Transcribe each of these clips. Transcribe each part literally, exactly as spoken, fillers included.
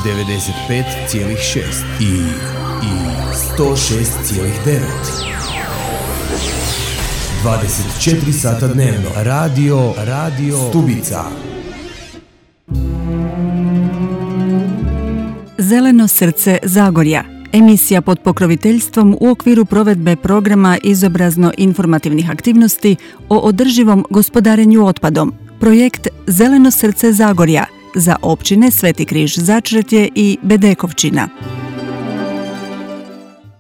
devedeset pet zarez šest i, i sto šest zarez devet. dvadeset četiri sata dnevno. Radio, radio Stubica. Zeleno srce Zagorja. Emisija pod pokroviteljstvom u okviru provedbe programa izobrazno-informativnih aktivnosti o održivom gospodarenju otpadom. Projekt Zeleno srce Zagorja za općine Sveti Križ Začretje i Bedekovčina.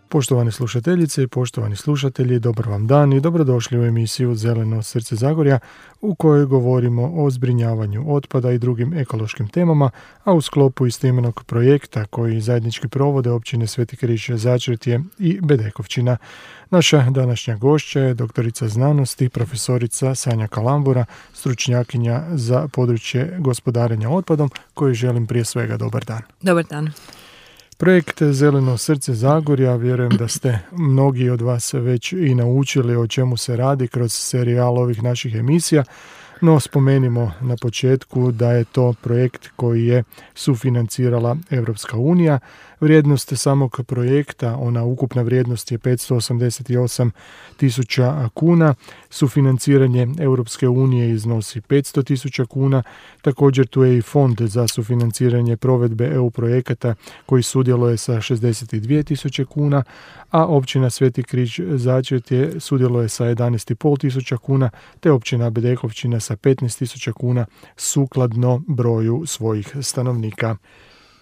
Poštovane slušateljice i poštovani slušatelji, dobar vam dan i dobrodošli u emisiju Zeleno srce Zagorja u kojoj govorimo o zbrinjavanju otpada i drugim ekološkim temama, a u sklopu istoimenog projekta koji zajednički provode općine Sveti Križ Začretje i Bedekovčina. Naša današnja gošća je doktorica znanosti, profesorica Sanja Kalambura, stručnjakinja za područje gospodarenja otpadom, kojoj želim prije svega dobar dan. Dobar dan. Projekt Zeleno srce Zagorja, vjerujem da ste mnogi od vas već i naučili o čemu se radi kroz serijal ovih naših emisija, no spomenimo na početku da je to projekt koji je sufinancirala Europska unija. Vrijednost samog projekta, ona ukupna vrijednost je petsto osamdeset osam tisuća kuna, sufinanciranje Europske unije iznosi petsto tisuća kuna, također tu je i fond za sufinanciranje provedbe E U projekata koji sudjeluje sa šezdeset dvije tisuće kuna, a općina Sveti Križ Začretje sudjeluje sa jedanaest i pol tisuća kuna, te općina Bedekovčina sa petnaest tisuća kuna sukladno broju svojih stanovnika.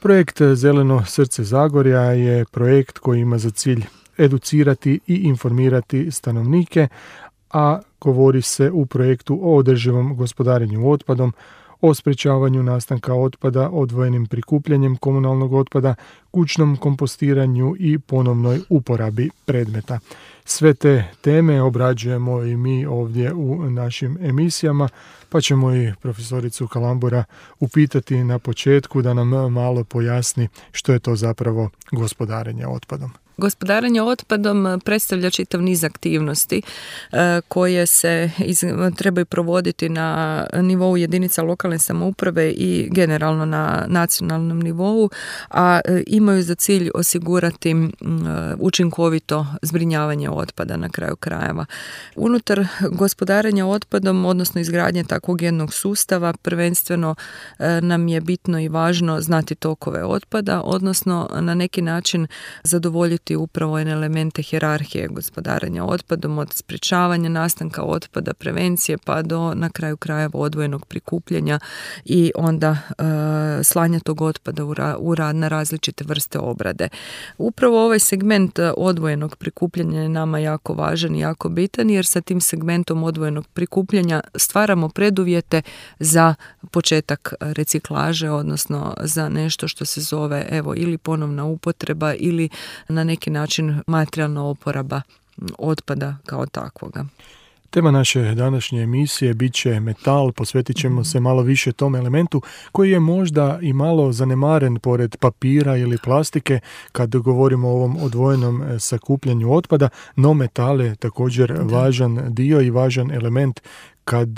Projekt Zeleno srce Zagorja je projekt koji ima za cilj educirati i informirati stanovnike, a govori se u projektu o održivom gospodarenju otpadom, o sprječavanju nastanka otpada, odvojenim prikupljanjem komunalnog otpada, kućnom kompostiranju i ponovnoj uporabi predmeta. Sve te teme obrađujemo i mi ovdje u našim emisijama, pa ćemo i profesoricu Kalambura upitati na početku da nam malo pojasni što je to zapravo gospodarenje otpadom. Gospodarenje otpadom predstavlja čitav niz aktivnosti e, koje se iz, trebaju provoditi na nivou jedinica lokalne samouprave i generalno na nacionalnom nivou, a e, imaju za cilj osigurati m, učinkovito zbrinjavanje otpada na kraju krajeva. Unutar gospodarenja otpadom, odnosno izgradnje takvog jednog sustava, prvenstveno e, nam je bitno i važno znati tokove otpada, odnosno na neki način zadovoljiti upravo one elemente hijerarhije gospodarenja otpadom, od sprječavanja nastanka otpada, prevencije, pa do na kraju krajeva odvojenog prikupljanja i onda e, slanja tog otpada u, ra, u rad na različite vrste obrade. Upravo ovaj segment odvojenog prikupljanja je nama jako važan i jako bitan, jer sa tim segmentom odvojenog prikupljanja stvaramo preduvjete za početak reciklaže, odnosno za nešto što se zove evo ili ponovna upotreba ili na neki način materijalna oporaba otpada kao takvoga. Tema naše današnje emisije bit će metal, posvetit ćemo se malo više tom elementu koji je možda i malo zanemaren pored papira ili plastike kad govorimo o ovom odvojenom sakupljanju otpada, no metal je također da. važan dio i važan element kad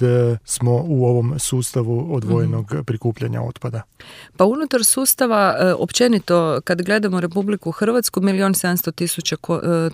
smo u ovom sustavu odvojenog mm. prikupljanja otpada. Pa unutar sustava, općenito, kad gledamo Republiku Hrvatsku, milijon sedamsto tisuća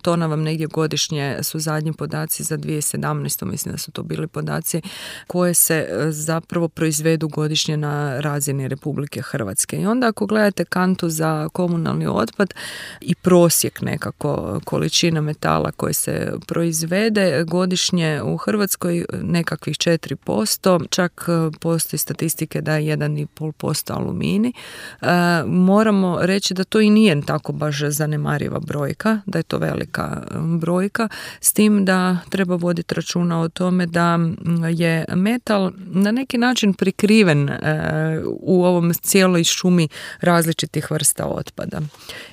tona vam negdje godišnje su zadnji podaci za dvije tisuće sedamnaestu. Mislim da su to bili podaci koje se zapravo proizvedu godišnje na razini Republike Hrvatske. I onda ako gledate kantu za komunalni otpad i prosjek nekako količina metala koje se proizvede godišnje u Hrvatskoj nekak četiri posto, čak postoji statistike da je jedan i pol posto alumini. E, moramo reći da to i nije tako baš zanemariva brojka, da je to velika brojka, s tim da treba voditi računa o tome da je metal na neki način prikriven e, u ovom cijeloj šumi različitih vrsta otpada.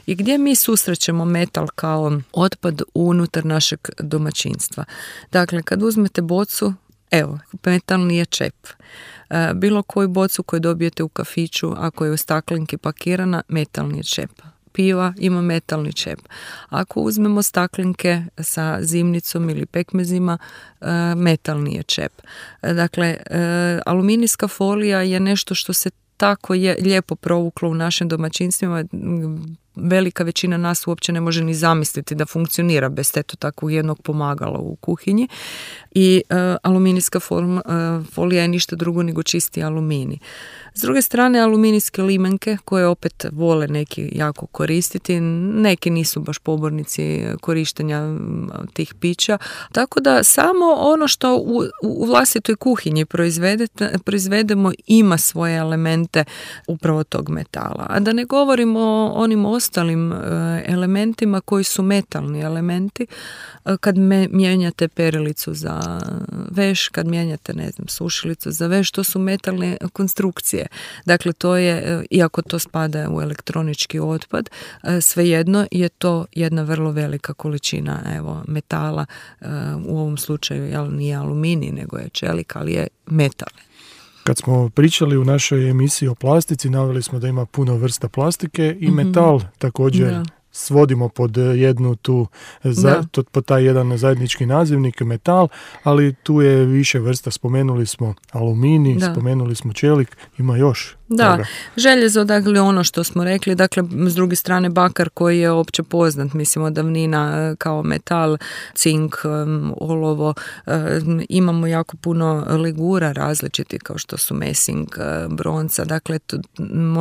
I gdje mi susrećemo metal kao otpad unutar našeg domaćinstva? Dakle, kad uzmete bocu, evo, metalni je čep. Bilo koju bocu koju dobijete u kafiću, ako je u staklenki pakirana, metalni je čep. Piva ima metalni čep. Ako uzmemo staklenke sa zimnicom ili pekmezima, metalni je čep. Dakle, aluminijska folija je nešto što se tako je lijepo provuklo u našim domaćinstvima. Velika većina nas uopće ne može ni zamisliti da funkcionira bez eto takvog jednog pomagala u kuhinji. I uh, aluminijska form, uh, folija je ništa drugo nego čisti aluminij. S druge strane, aluminijske limenke koje opet vole neki jako koristiti, neki nisu baš pobornici korištenja tih pića. Tako da samo ono što u, u vlastitoj kuhinji proizvedemo ima svoje elemente upravo tog metala. A da ne govorimo o onim ostalim elementima koji su metalni elementi. Kad me, mijenjate perilicu za veš, kad mijenjate, ne znam, sušilicu za veš, to su metalne konstrukcije. Dakle, to je, iako to spada u elektronički otpad, svejedno je to jedna vrlo velika količina evo, metala, u ovom slučaju jel, nije aluminij, nego je čelik, ali je metal. Kad smo pričali u našoj emisiji o plastici, naveli smo da ima puno vrsta plastike i mm-hmm. metal također da. Svodimo pod jednu tu, za, to, pod taj jedan zajednički nazivnik, metal, ali tu je više vrsta. Spomenuli smo aluminij, da. Spomenuli smo čelik, ima još. Da, toga. Željezo, dakle, ono što smo rekli, dakle, s druge strane bakar koji je opće poznat, mislim, od davnina kao metal, cink, olovo, imamo jako puno legura različiti kao što su mesing, bronca, dakle, to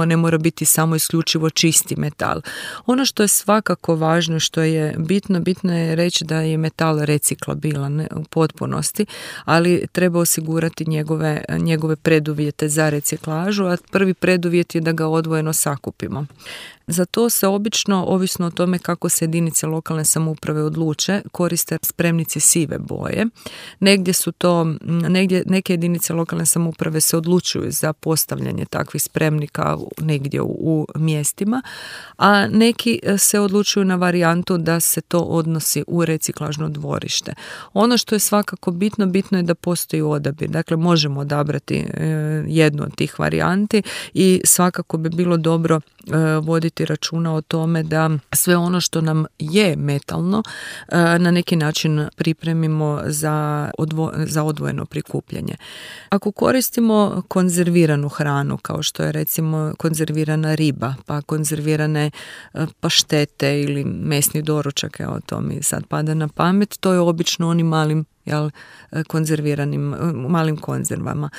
ne mora biti samo isključivo čisti metal. Ono što je svakako važno, što je bitno, bitno je reći da je metal reciklabilan u potpunosti, ali treba osigurati njegove, njegove preduvjete za reciklažu, a prvi preduvjet je da ga odvojeno sakupimo. Za to se obično, ovisno o tome kako se jedinice lokalne samouprave odluče, koriste spremnice sive boje. Negdje su to, negdje, neke jedinice lokalne samouprave se odlučuju za postavljanje takvih spremnika negdje u, u mjestima, a neki se odlučuju na varijantu da se to odnosi u reciklažno dvorište. Ono što je svakako bitno, bitno je da postoji odabir. Dakle, možemo odabrati e, jednu od tih varijanti i svakako bi bilo dobro e, voditi računa o tome da sve ono što nam je metalno na neki način pripremimo za, odvo, za odvojeno prikupljanje. Ako koristimo konzerviranu hranu, kao što je recimo konzervirana riba, pa konzervirane paštete ili mesni doručak, evo to mi sad pada na pamet, to je obično onim malim jel, konzerviranim, malim konzervama.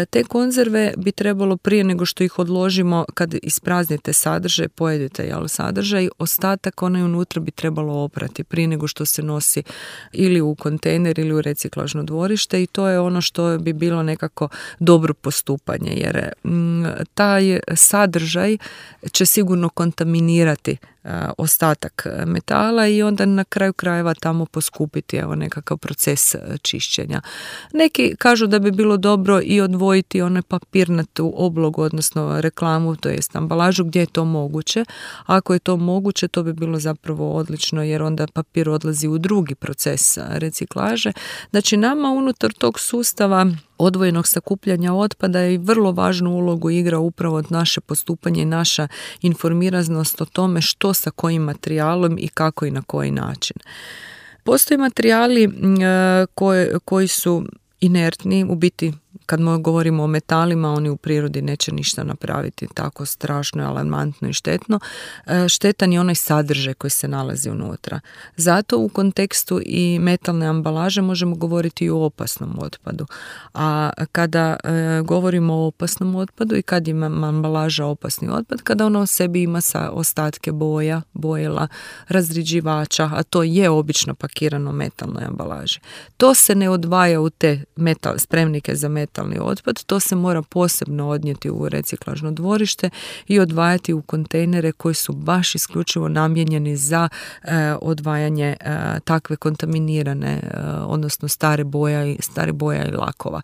Te konzerve bi trebalo prije nego što ih odložimo, kad ispraznite sadržaj, pojedete jel, sadržaj, ostatak onaj unutra bi trebalo oprati prije nego što se nosi ili u kontejner ili u reciklažno dvorište i to je ono što bi bilo nekako dobro postupanje, jer m, taj sadržaj će sigurno kontaminirati ostatak metala i onda na kraju krajeva tamo poskupiti evo nekakav proces čišćenja. Neki kažu da bi bilo dobro i odvojiti onaj papirnatu oblogu, odnosno reklamu, to jest ambalažu gdje je to moguće. Ako je to moguće, to bi bilo zapravo odlično jer onda papir odlazi u drugi proces reciklaže. Znači nama unutar tog sustava odvojenog sakupljanja otpada i vrlo važnu ulogu igra upravo naše postupanje i naša informiranost o tome što sa kojim materijalom i kako i na koji način. Postoje materijali koji, koji su inertni, u biti kad govorimo o metalima, oni u prirodi neće ništa napraviti tako strašno, alarmantno i štetno. Štetan je onaj sadržaj koji se nalazi unutra. Zato u kontekstu i metalne ambalaže možemo govoriti i o opasnom otpadu. A kada e, govorimo o opasnom otpadu i kad ima ambalaža opasni otpad, kada ona u sebi ima sa ostatke boja, bojela, razriđivača, a to je obično pakirano u metalnoj ambalaži. To se ne odvaja u te metal, spremnike za metal otpad, to se mora posebno odnijeti u reciklažno dvorište i odvajati u kontejnere koji su baš isključivo namijenjeni za e, odvajanje e, takve kontaminirane, e, odnosno stare boja i stare boja i lakova.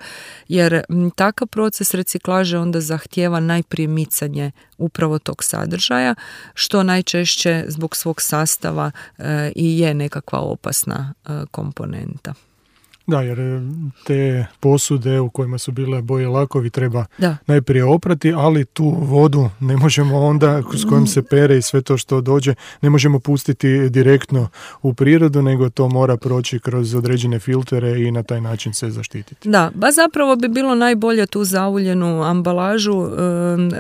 Jer m, takav proces reciklaže onda zahtijeva najprije micanje upravo tog sadržaja, što najčešće zbog svog sastava e, i je nekakva opasna e, komponenta. Da, jer te posude u kojima su bile boje lakovi treba da. najprije oprati, ali tu vodu ne možemo onda, s kojom se pere i sve to što dođe, ne možemo pustiti direktno u prirodu, nego to mora proći kroz određene filtere i na taj način se zaštititi. Da, ba zapravo bi bilo najbolje tu zauljenu ambalažu,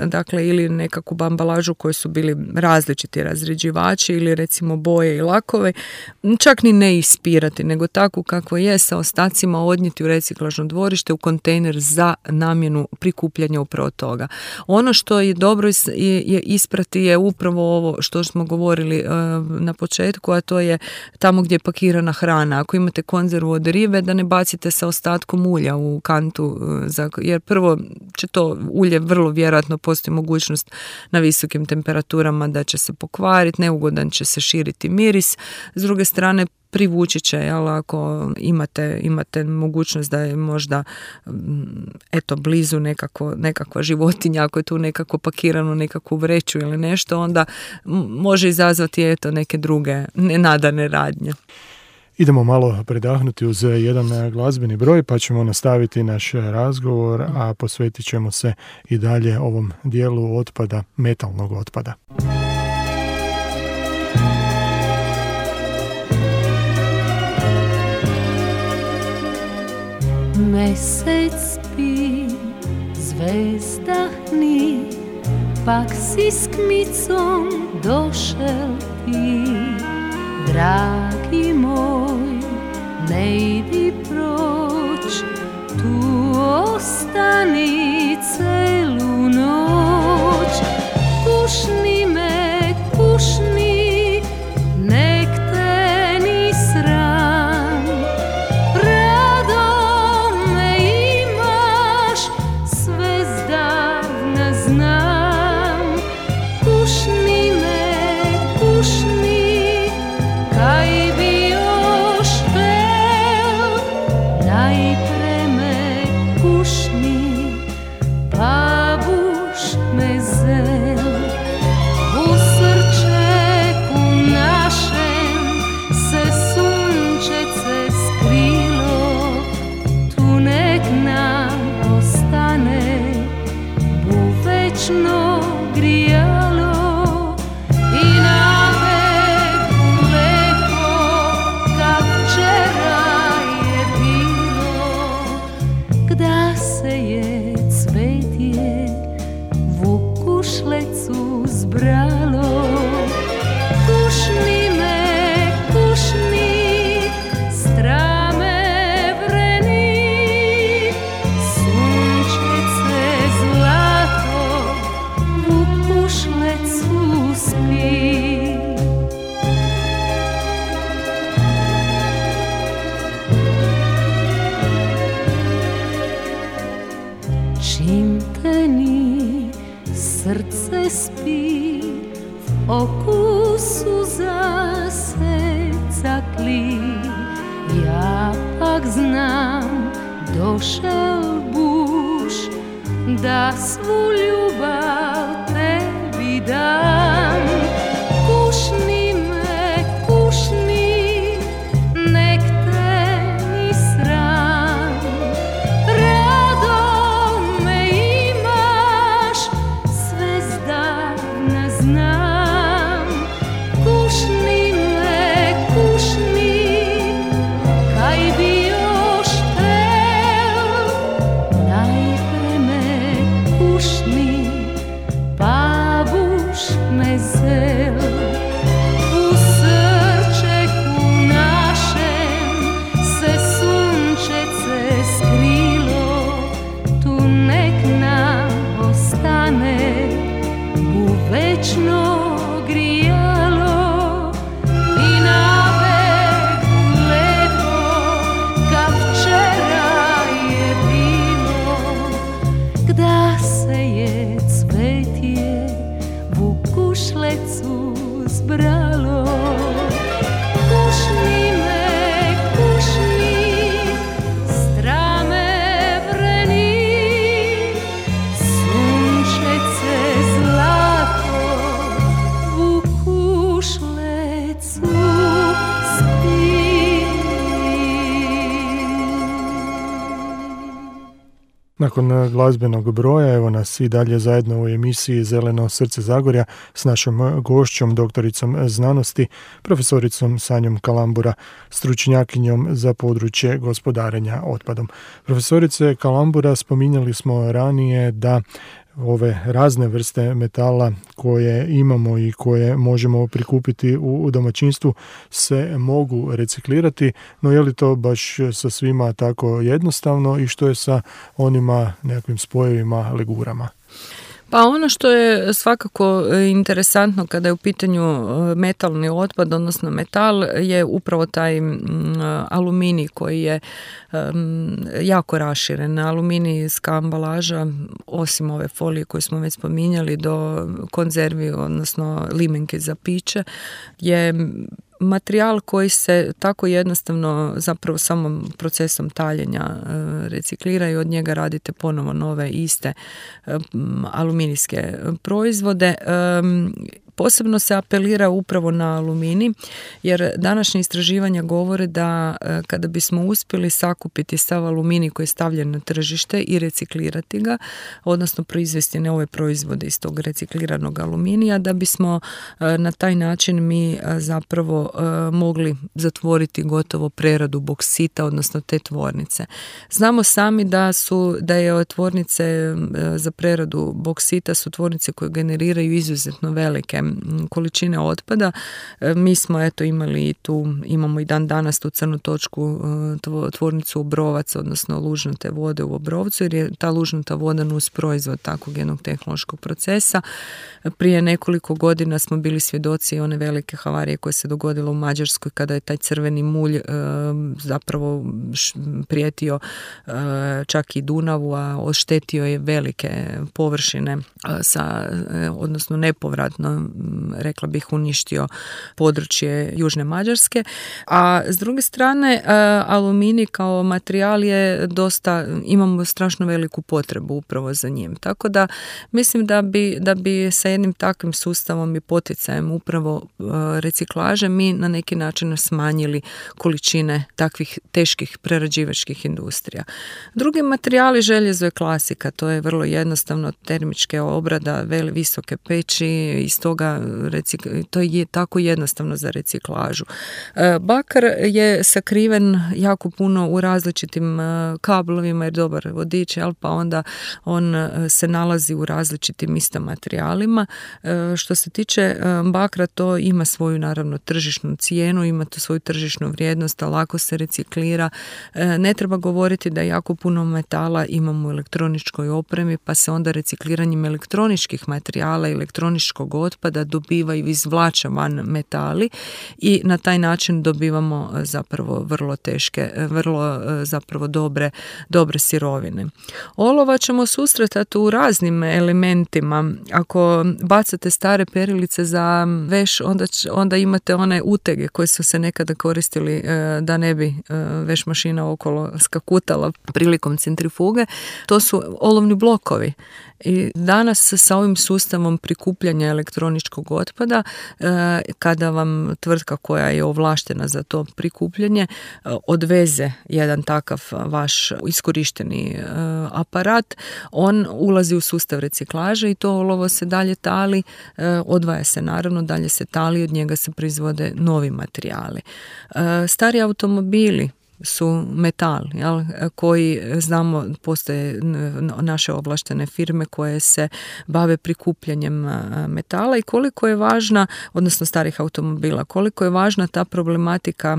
dakle ili nekakvu ambalažu koji su bili različiti razređivači ili recimo boje i lakove, čak ni ne ispirati, nego takvu kako je sa ostacima odnijeti u reciklažno dvorište u kontejner za namjenu prikupljanja upravo toga. Ono što je dobro je, je isprati je upravo ovo što smo govorili e, na početku, a to je tamo gdje je pakirana hrana. Ako imate konzervu od ribe, da ne bacite sa ostatkom ulja u kantu, e, za, jer prvo će to ulje vrlo vjerojatno postoji mogućnost na visokim temperaturama da će se pokvariti, neugodan će se širiti miris. S druge strane, privući će, jel, ako imate, imate mogućnost da je možda eto blizu nekako, nekakva životinja, ako je tu nekako pakirano nekakvu vreću ili nešto, onda može izazvati eto neke druge nenadane radnje. Idemo malo predahnuti uz jedan glazbeni broj, pa ćemo nastaviti naš razgovor, a posvetit ćemo se i dalje ovom dijelu otpada, metalnog otpada. Mesec spi, zvezda hni, pak si s kmicom došel ti. Dragi moj, ne idi proć, tu ostani celu noć. Pušni me, pušni, nek te ni sram. Rado me imaš, sve zdavna znam. Pušni me, pušni, kaj bi još vel, najpre me pušni, pa buš me zel. U srčeku našem se sunčece skrilo, tu nek nam ostane buvečno grijalo. I na veku lepo, kak včera je bilo, gda se je cvetje vukušlecu zbralo. Pušni me, pušni, strame vreni, sunčece zlato vukušlecu spi. Čim te ni, srce spi, v oku suza se cakli. Ja pak znam, došel buš, da svu ljubav tebi dam. Kušni me, kušni, nek te ni sram. Rado me imaš, sve zdavna znam. Kušni me, kušni, kaj bi još tel, najpre me pušni, pa buš me zel. U srčeku našem se sunčece skrilo, tu nek nam ostane buvečno grijalo. I na veku lepo, kak včera je bilo, gda se je cvetje vukušlecu zbralo. Pušni me, pušni, strame vreni, sunčece zlato vukušlecu spi. Nakon glazbenog broja, evo nas i dalje zajedno u emisiji Zeleno srce Zagorja s našom gošćom, doktoricom znanosti, profesoricom Sanjom Kalambura, stručnjakinjom za područje gospodarenja otpadom. Profesorice Kalambura, spominjali smo ranije da ove razne vrste metala koje imamo i koje možemo prikupiti u domaćinstvu se mogu reciklirati, no je li to baš sa svima tako jednostavno i što je sa onima nekakvim spojevima, legurama? Pa ono što je svakako interesantno kada je u pitanju metalni otpad, odnosno metal, je upravo taj aluminij koji je jako raširen. Aluminijska ambalaža, osim ove folije koju smo već spominjali, do konzervi, odnosno limenke za piće, je materijal koji se tako jednostavno zapravo samom procesom taljenja reciklira i od njega radite ponovo nove iste aluminijske proizvode. Posebno se apelira upravo na aluminij, jer današnje istraživanja govore da kada bismo uspjeli sakupiti sav aluminij koji je stavljen na tržište i reciklirati ga, odnosno proizvesti nove proizvode iz tog recikliranog aluminija, da bismo na taj način mi zapravo mogli zatvoriti gotovo preradu boksita, odnosno te tvornice. Znamo sami da su da je tvornice za preradu boksita su tvornice koje generiraju izuzetno velike količine otpada. Mi smo eto imali i tu, imamo i dan danas tu crnu točku tvornicu Obrovac, odnosno lužnate vode u Obrovcu, jer je ta lužnata voda nus proizvod takvog jednog tehnološkog procesa. Prije nekoliko godina smo bili svjedoci one velike havarije koje se dogodila u Mađarskoj kada je taj crveni mulj zapravo prijetio čak i Dunavu, a oštetio je velike površine sa, odnosno nepovratno, rekla bih, uništio područje Južne Mađarske. A s druge strane, aluminij kao materijal je dosta, imamo strašno veliku potrebu upravo za njim. Tako da mislim da bi, da bi sa jednim takvim sustavom i poticajem upravo reciklaže mi na neki način smanjili količine takvih teških prerađivačkih industrija. Drugi materijali, željezo je klasika, to je vrlo jednostavno, termičke obrada, veli visoke peći, iz toga recik- to je tako jednostavno za reciklažu. Bakar je sakriven jako puno u različitim kablovima, jer dobar vodič, jel, pa onda on se nalazi u različitim isto materijalima. Što se tiče bakra, to ima svoju naravno tržišnu cijenu, ima to svoju tržišnu vrijednost, a lako se reciklira. Ne treba govoriti da jako puno metala imamo u elektroničkoj opremi, pa se onda recikliranjem elektroničkih materijala i elektroničkog otpada dobivaju, izvlače van metali i na taj način dobivamo zapravo vrlo teške, vrlo zapravo dobre, dobre sirovine. Olova ćemo susretati u raznim elementima. Ako bacate stare perilice za veš, onda, onda imate one utege koje su se nekada koristili da ne bi veš mašina okolo skakutala prilikom centrifuge. To su olovni blokovi. I danas sa ovim sustavom prikupljanja elektroničkog otpada, kada vam tvrtka koja je ovlaštena za to prikupljanje odveze jedan takav vaš iskorišteni aparat, on ulazi u sustav reciklaže i to olovo se dalje tali, odvaja se naravno, dalje se tali, od njega se proizvode novi materijali. Stari automobili su metal, jel, koji znamo, postoje naše ovlaštene firme koje se bave prikupljanjem metala i koliko je važna, odnosno starih automobila, koliko je važna ta problematika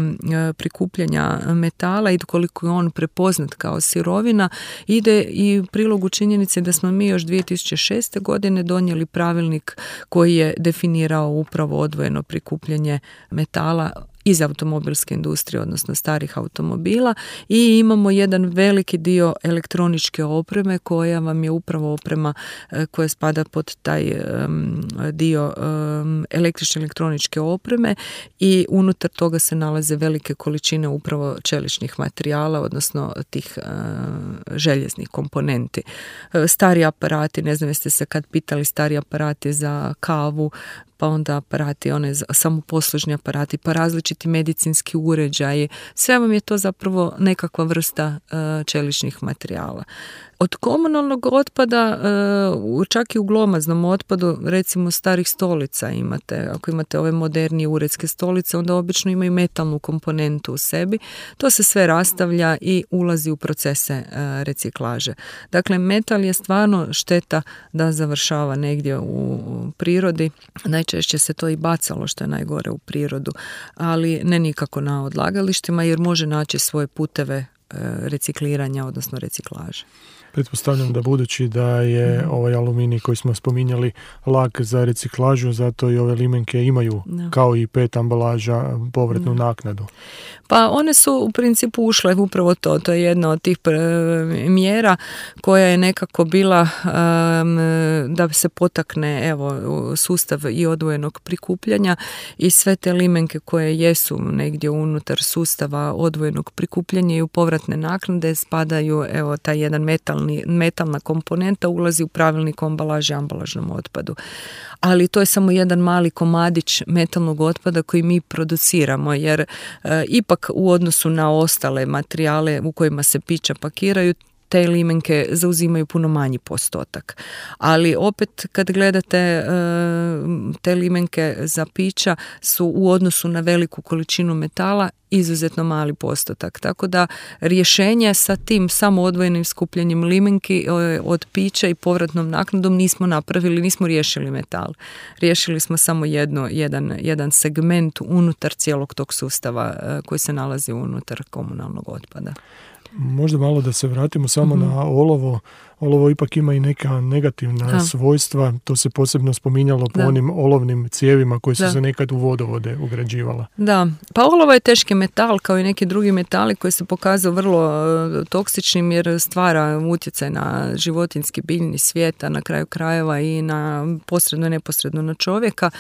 prikupljanja metala i koliko je on prepoznat kao sirovina, ide i u prilogu činjenice da smo mi još dvije tisuće šeste. godine donijeli pravilnik koji je definirao upravo odvojeno prikupljanje metala iz automobilske industrije, odnosno starih automobila, i imamo jedan veliki dio elektroničke opreme koja vam je upravo oprema koja spada pod taj um, dio um, električne elektroničke opreme i unutar toga se nalaze velike količine upravo čeličnih materijala, odnosno tih uh, željeznih komponenti. Uh, stari aparati, ne znam jeste se kad pitali, stari aparati za kavu, pa onda aparati, one samoposlužni aparati, pa različiti medicinski uređaji. Sve vam je to zapravo nekakva vrsta uh, čeličnih materijala. Od komunalnog otpada, čak i u glomaznom otpadu, recimo starih stolica imate, ako imate ove modernije uredske stolice, onda obično imaju metalnu komponentu u sebi. To se sve rastavlja i ulazi u procese reciklaže. Dakle, metal je stvarno šteta da završava negdje u prirodi. Najčešće se to i bacalo, što je najgore, u prirodu, ali ne nikako na odlagalištima, jer može naći svoje puteve recikliranja, odnosno reciklaže. Pretpostavljam da budući da je ovaj aluminij koji smo spominjali lak za reciklažu, zato i ove limenke imaju no. kao i pet ambalaža povratnu no. naknadu. Pa one su u principu ušle upravo to. To je jedna od tih mjera koja je nekako bila um, da se potakne evo, sustav i odvojenog prikupljanja i sve te limenke koje jesu negdje unutar sustava odvojenog prikupljanja i u povratne naknade spadaju, evo, taj jedan metalni metalna komponenta ulazi u pravilnik o ambalaži i ambalažnom otpadu. Ali to je samo jedan mali komadić metalnog otpada koji mi produciramo, jer e, ipak u odnosu na ostale materijale u kojima se pića pakiraju, te limenke zauzimaju puno manji postotak. Ali opet kad gledate e, te limenke za pića su u odnosu na veliku količinu metala izuzetno mali postotak. Tako da rješenje sa tim samo odvojenim skupljanjem limenki od pića i povratnom naknadom nismo napravili, nismo riješili metal. Riješili smo samo jedno, jedan, jedan segment unutar cijelog tog sustava koji se nalazi unutar komunalnog otpada. Možda malo da se vratimo samo mm-hmm. na olovo. Olovo ipak ima i neka negativna da. svojstva. To se posebno spominjalo po da. onim olovnim cijevima koji su da. se nekad u vodovode ugrađivala. Da, pa olovo je teški metal kao i neki drugi metali koji se pokazao vrlo toksičnim jer stvara utjecaj na životinjski biljni svijet, a na kraju krajeva i na posredno i neposredno na čovjeka.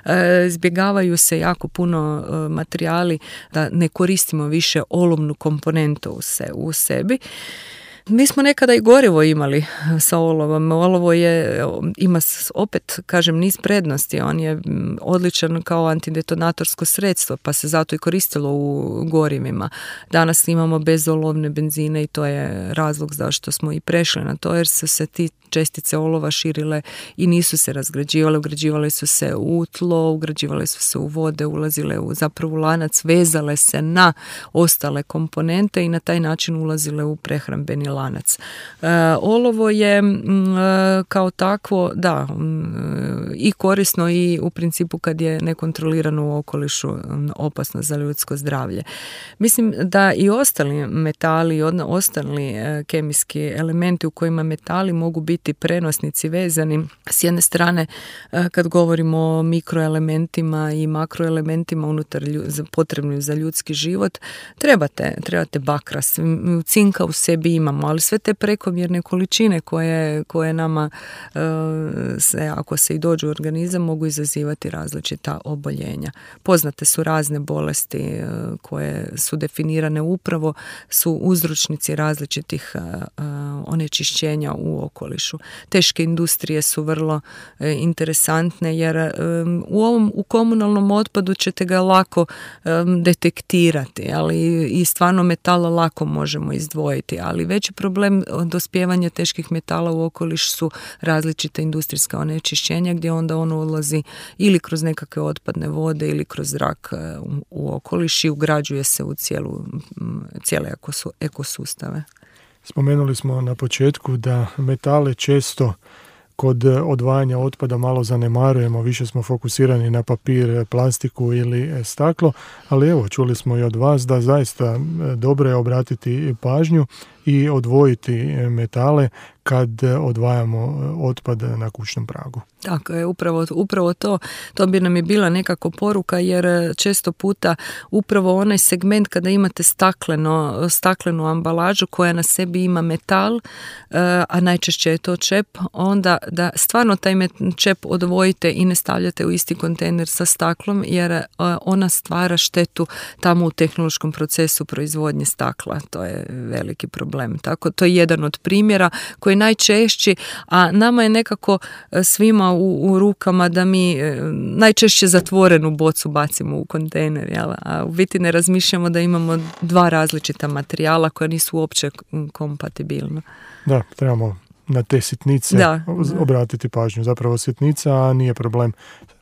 E, izbjegavaju se jako puno materijali da ne koristimo više olovnu komponentu u, se, u sebi. Mi smo nekada i gorivo imali sa olovom. Olovo je, ima opet, kažem, niz prednosti. On je odličan kao antidetonatorsko sredstvo, pa se zato i koristilo u gorivima. Danas imamo bezolovne benzine i to je razlog zašto smo i prešli na to, jer su se ti čestice olova širile i nisu se razgrađivale, ugrađivale su se u tlo, ugrađivale su se u vode, ulazile u zapravo lanac, vezale se na ostale komponente i na taj način ulazile u prehrambeni lanac. E, olovo je m, kao takvo, da, m, i korisno i u principu kad je nekontrolirano u okolišu m, opasno za ljudsko zdravlje. Mislim da i ostali metali, ostali e, kemijski elementi u kojima metali mogu biti prenosnici vezani s jedne strane kad govorimo o mikroelementima i makroelementima unutar lju- potrebnim za ljudski život, trebate, trebate bakra, cinka u sebi imamo, ali sve te prekomjerne količine koje, koje nama se, ako se i dođu u organizam, mogu izazivati različita oboljenja. Poznate su razne bolesti koje su definirane upravo su uzročnici različitih onečišćenja u okolišu. Teške industrije su vrlo e, interesantne jer e, u ovom u komunalnom otpadu ćete ga lako e, detektirati, ali i stvarno metala lako možemo izdvojiti, ali veći problem dospijevanja teških metala u okoliš su različite industrijska onečišćenja gdje onda ono odlazi ili kroz nekakve otpadne vode ili kroz zrak e, u, u okoliš i ugrađuje se u cijelu, cijele ekosustave. Spomenuli smo na početku da metale često kod odvajanja otpada malo zanemarujemo, više smo fokusirani na papir, plastiku ili staklo, ali evo, čuli smo i od vas da zaista dobro je obratiti pažnju i odvojiti metale kad odvajamo otpad na kućnom pragu. Tako je, upravo, upravo to, to bi nam je bila nekako poruka jer često puta upravo onaj segment kada imate stakleno, staklenu ambalažu koja na sebi ima metal, a najčešće je to čep, onda da stvarno taj čep odvojite i ne stavljate u isti kontejner sa staklom jer ona stvara štetu tamo u tehnološkom procesu proizvodnje stakla. To je veliki problem. problem. Tako, to je jedan od primjera koji je najčešći, a nama je nekako svima u, u rukama da mi najčešće zatvorenu bocu bacimo u kontejner, jel? A u biti ne razmišljamo da imamo dva različita materijala koja nisu uopće kompatibilna. Da, trebamo na te sitnice da, obratiti pažnju. Zapravo sitnica, a nije problem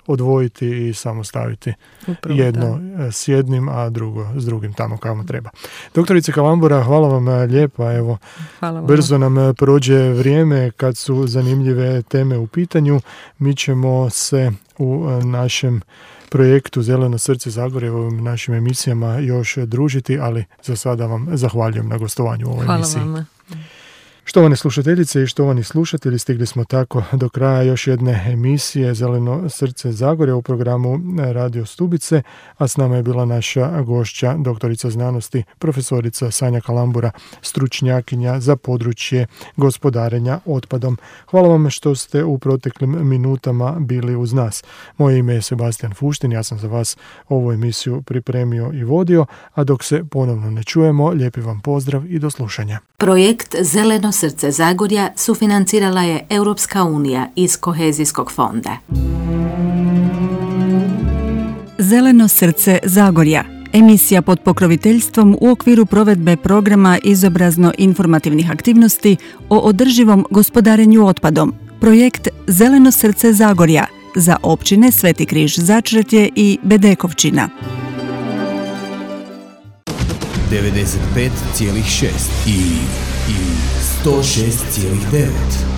odvojiti i samo staviti Upravo, jedno da. s jednim, a drugo s drugim tamo kamo treba. Doktorice Kalambura, hvala vam lijepa. Evo, hvala vam. Brzo nam prođe vrijeme kad su zanimljive teme u pitanju. Mi ćemo se u našem projektu Zeleno srce Zagorja, u ovim našim emisijama još družiti, ali za sada vam zahvaljujem na gostovanju u ovoj hvala emisiji. Vama. Štovane slušateljice i štovani slušatelji, stigli smo tako do kraja još jedne emisije Zeleno srce Zagorja u programu Radio Stubice, a s nama je bila naša gošća, doktorica znanosti, profesorica Sanja Kalambura, stručnjakinja za područje gospodarenja otpadom. Hvala vam što ste u proteklim minutama bili uz nas. Moje ime je Sebastian Fuštin, ja sam za vas ovu emisiju pripremio i vodio, a dok se ponovno ne čujemo, lijepi vam pozdrav i do slušanja. Projekt Zeleno srce Zagorja sufinancirala je Europska unija iz Kohezijskog fonda. Zeleno srce Zagorja, emisija pod pokroviteljstvom u okviru provedbe programa izobrazno-informativnih aktivnosti o održivom gospodarenju otpadom. Projekt Zeleno srce Zagorja za općine Sveti Križ Začretje i Bedekovčina. devedeset pet zarez šest i, i sto šest zarez devet.